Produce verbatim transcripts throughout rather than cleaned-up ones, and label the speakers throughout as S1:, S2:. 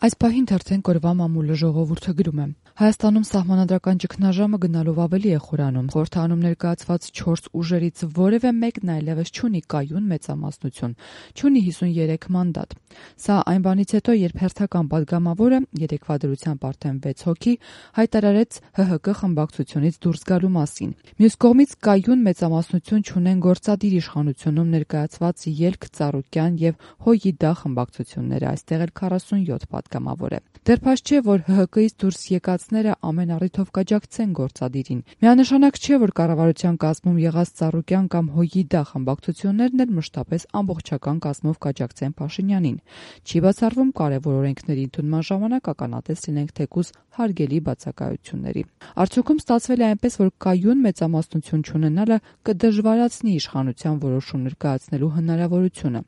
S1: Այս պահին թերթեն կորվա մամուլը ժողովուրդը գրում է. Հայաստանում սահմանադրական ճգնաժամը գնալով ավելի է խորանում։ Խորհրդանում ներկայացված չորս ուժերից որևէ մեկն այլևս չունի կայուն մեծամասնություն, չունի հիսունյերեք մանդատ։ Սա այն բանից հետո, երբ հերթական падգամավորը երեկվա դրությամբ արդեն վեց հոգի հայտարարեց ՀՀԿ խմբակցությունից դուրս գալու մասին։ Մյուս կողմից կայուն մեծամասնություն չունեն գործադիր իշխանությունում ներկայացված Ելք, Ծառուկյան եւ Հոյիդա խմբակցությունները, այստեղ էլ քառասունյոթ падգամավոր է։ Դեռ փաստ չէ, որ ՀՀԿ-ից դուրս եկածները ամեն առիթով կաջակցեն գործադիրին։ Միանշանակ չէ, որ կառավարության կազմում եղած Ծառուկյան կամ Հոյիդա խմբակցություններն էլ մշտապես ամբողջական կազմով կաջակցեն Փաշինյանին։ Չի բացառվում կարևոր օրենքների ընդունման ժամանակ ականատես լինենք թեկուզ հարգելի բացակայությունների։ Արդյունքում ստացվել է այնպես, որ կայուն մեծամասնություն չունենալը կդժվարացնի իշխանության որոշումներ կայացնելու հնարավորությունը։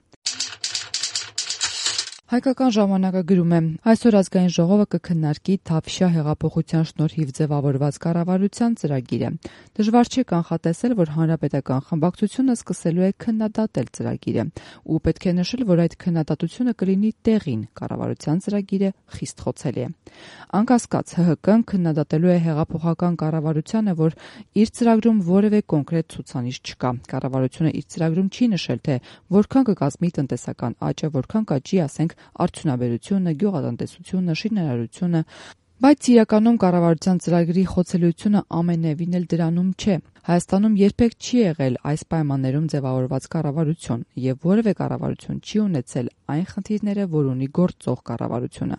S1: Հայկական ժամանակը գրում է. այսօր ազգային ժողովը կքննարկի Թավշյա հեղափոխության շնորհիվ ձևավորված կառավարության ծրագիրը։ Դժվար չէ կանխատեսել, որ հանրապետական խմբակցությունը սկսելու է քննադատել ծրագիրը, ու պետք է նշել, որ այդ քննադատությունը կլինի տեղին, կառավարության ծրագիրը խիստ խոցելի է։ Անկասկած, ՀՀԿ-ն քննադատելու է հեղափոխական կառավարությանը, որ իր ծրագրում որևէ կոնկրետ ցուցանիշ չկա։ Կառավարությունը իր ծրագրում չի նշել, թե որքան կկազմի տնտեսական աճը, որքան կաճի, ասենք, արդյունաբերությունը, գյուղատնտեսությունը, շինարարությունը, բայց իրականում կառավարության ծրագրի խոցելիությունը ամենևին էլ դրանում չէ։ Հայաստանում երբեք չի եղել այս պայմաններում ձևավորված կառավարություն, եւ որևէ կառավարություն չի ունեցել այն խնդիրները, որ ունի գործող կառավարությունը։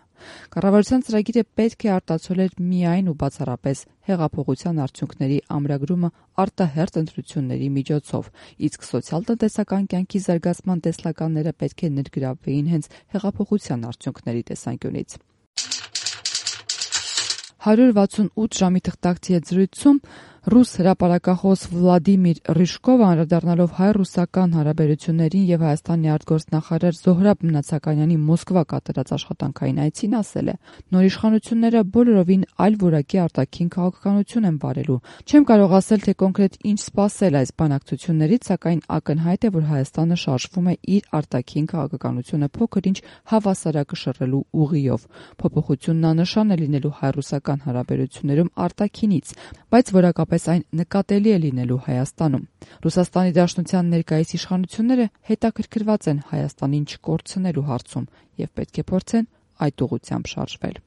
S1: Կառավարության ծրագիրը պետք է արտացոլեր միայն ու բացառապես հեղափոխության արդյունքների ամրագրումը արտահերթ ընտրությունների միջոցով, իսկ սոցիալ-տնտեսական կյանքի զարգացման տեսլականները պետք է ներգրավվեին հենց հեղափոխության արդյունքների տեսանկյունից։ հարյուր վաթսունութ ժամի թղթակցի հետ զրույցում ռուս հրապարակախոս Վլադիմիր Ռիժկովը անդրադառնալով հայ-ռուսական հարաբերություններին եւ Հայաստանի արտգործնախարար Զոհրաբ Մնացականյանի Մոսկվա կատարած աշխատանքային այցին ասել է. նոր իշխանությունները բոլորովին այլ որակի արտաքին քաղաքականություն են վարելու։ Չեմ կարող ասել, թե կոնկրետ ինչ սպասել այս բանակցություններից, սակայն ակնհայտ է, որ Հայաստանը շարժվում է իր արտաքին քաղաքականությունը փոքր-ինչ հավասարակշռելու ուղիով։ Փոփոխությունն աննշան է լինելու հայ-ռուսական հարաբերություններում արտաքինից, բայց որակապես այն նկատելի է լինելու Հայաստանում։ Ռուսաստանի Դաշնության ներկայիս իշխանությունները հետաքրքրված են Հայաստանին չկորցնելու հարցում եւ պետք է փորձեն այդ ուղղությամբ շարժվել։